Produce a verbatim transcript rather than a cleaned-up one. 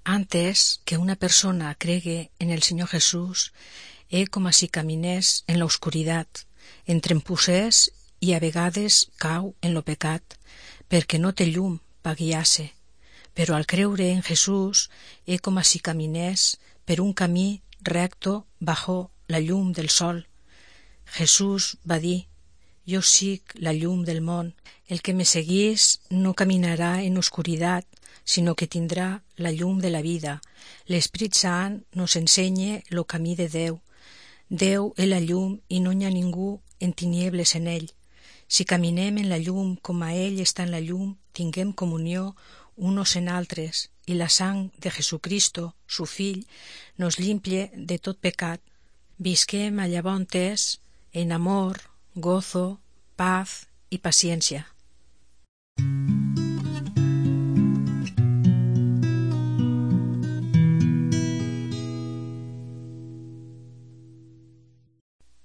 Antes que una persona cregue en el Senyor Jesús, é com si caminés en la oscuritat, entrempussés i a vegades cau en lo pecat, perquè no té llum pa guiar-se. Però al creure en Jesús é com si caminés per un camí recto bajo la llum del sol. Jesús va dir: jo sic la llum del món, el que me seguís no caminarà en oscuritat, sinó que tindrà la llum de la vida. L'Esprit Sant nos ensenya lo camí de Déu. Déu és la llum i no hi ha ningú en tiniebles en ell. Si caminem en la llum com a ell està en la llum, tinguem comunió unos en altres, i la sang de Jesucristo, su fill, nos limpie de tot pecat. Visquem a llavors en amor, gozo, paz i paciència.